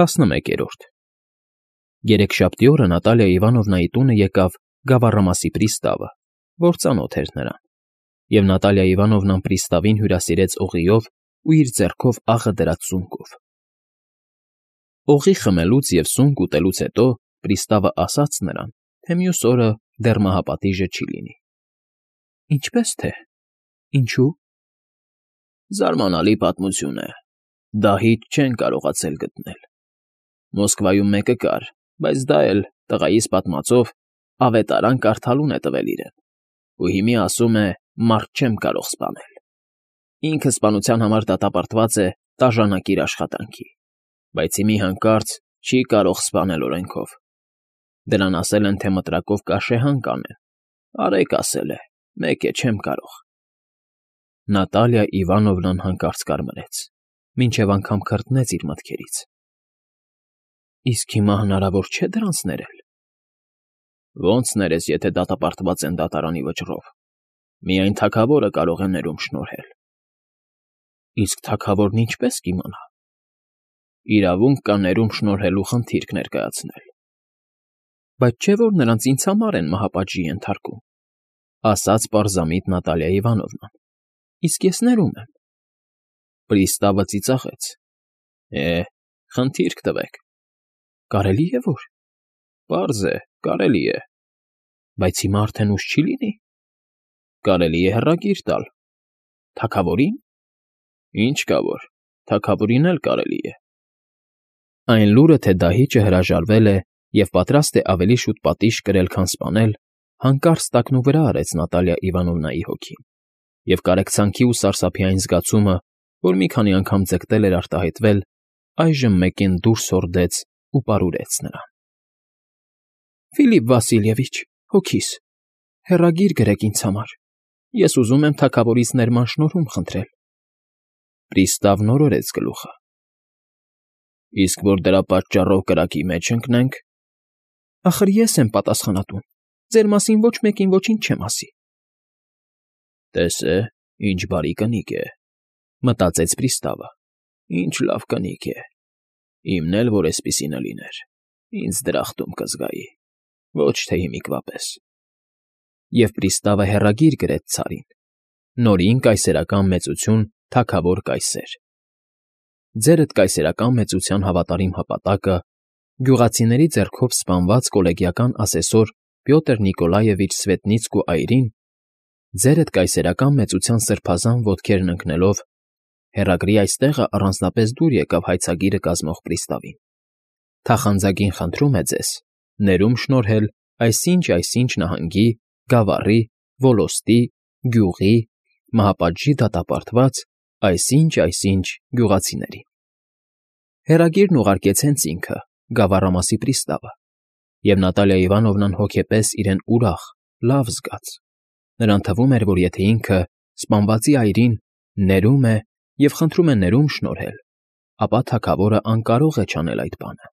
11 Երեքշաբթի օրը Նատալիա Իվանովնայի տունը եկավ գավառամասի պրիստավը, որ ծանոթ էր նրան, և Նատալիա Իվանովնան պրիստավին հյուրասիրեց օղիով ու իր ձեռքով աղը դրած սունկով։ Օղի խմելուց և սունկ ուտելուց հետո պրիստավը ասաց նրան, թե մյուս օրը դեռ մահապատիժը չի լինի։ Ինչպե՞ս թե, ինչու՞։ Զարմանալի պատմություն է, դահիճ չեն կարողացել գտնել։ Մոսկվայում մեկը կար, բայց դա էլ, տղայիս պատմածով, ավետարան կարդալուն է տվել իրեն, ու հիմի ասում է, մարդ չեմ կարող սպանել։ Ինքը սպանության համար դատապարտված է տաժանակիր աշխատանքի, բայց հիմի հանկարծ չի կարող սպանել օրենքով։ Դրան ասել են, թե մտրակով կաշեհան կանեն, արեք ասել է, մեկ է չեմ կարող։ Նատալիա Իվանովնան հանկարծ կարմրեց, մինչև անգամ քրտնեց իր մտքերից։ Իսկ հիմա հնարավոր չէ դրանց ներել։ Ոնց ներես, եթե դատապարտված են դատարանի վճռով։ Միայն թագավորը կարող է ներում շնորհել։ Իսկ թագավորն ինչպե՞ս կիմանա։ Իրավունք կա ներում շնորհելու խնդիրք ներկայացնել։ Բայց չէ՞ որ նրանց ինձ համար են մահապատժի ենթարկում, ասաց պարզամիտ Նատալիա Իվանովնան։ Իսկ ես ներում եմ։ Պրիստավը ծիծաղեց։ Խնդիրք տվեք։ Կարելի է որ։ Պարզ է, կարելի է։ Բայց հիմա արդեն ուշ չի լինի։ Կարելի է հեռագիր տալ։ Թագավորին։ Ինչ կա որ, թագավորին էլ կարելի է։ Այն լուրը, թե դահիճը հրաժարվել է և պատրաստ է ավելի շուտ պատիժ կրել, քան սպանել, հանկարծ տակնուվրա արեց Նատալիա Իվանովնայի հոգին, և կարեկցանքի ու սարսափի այն զգացումը, որ մի քանի անգամ ձգտել էր արտահայտվել, այժմ մեկին դուրս հորդեց ու պարուրեց նրան։ Ֆիլիպ Վասիլևիչ, հոգիս, հեռագիր գրեք ինձ համար։ Ես ուզում եմ թագավորից ներման շնորհում խնդրել։ Պրիստավն օրորեց գլուխը։ Իսկ որ դրա պատճառով կրակի մեջ ընկնենք։ Ախր ես եմ պատասխանատուն։ Ձեր մասին ոչ մեկին ոչինչ չեմ ասի։ Տես է, ինչ բարի կնիկ է, մտածեց պրիստավը։ Ինչ լավ կնիկ է։ Իմն էլ որ էսպիսինը լիներ, ինձ դրախտում կզգայի, ոչ թե հիմիկվա պես։ Եվ պրիստավը հեռագիր գրեց ցարին. Նորին կայսերական մեծություն թագավոր կայսեր։ Ձերդ կայսերական մեծության հավատարիմ հպատակը, գյուղացիների ձեռքով սպանված կոլեգիական ասեսոր Պյոտր Նիկոլաևիչ Սվետնիցկու այրին, ձերդ կայսերական մեծության սրբազան ոտքերն ընկնելով, հեռագրի այստեղը առանձնապես դուր եկավ հայցագիրը կազմող պրիստավին։ Թախանձագին խնդրում է ձեզ ներում շնորհել այսինչ նահանգի, գավառի, ոլոստի, գյուղի, մահապատժի դատապարտված այսինչ գյուղացիներին։ Հեռագիրն ուղարկեց հենց ինքը, գավառամասի պրիստավը, և Նատալիա Իվանովնան հոգեպես իրեն ուրախ, լավ զգաց։ Նրան թվում էր, որ եթե ինքը սպանվածի այրին ներում է և խնդրում է ներում շնորհել, ապա թագավորը անկարող է չանել այդ բանը։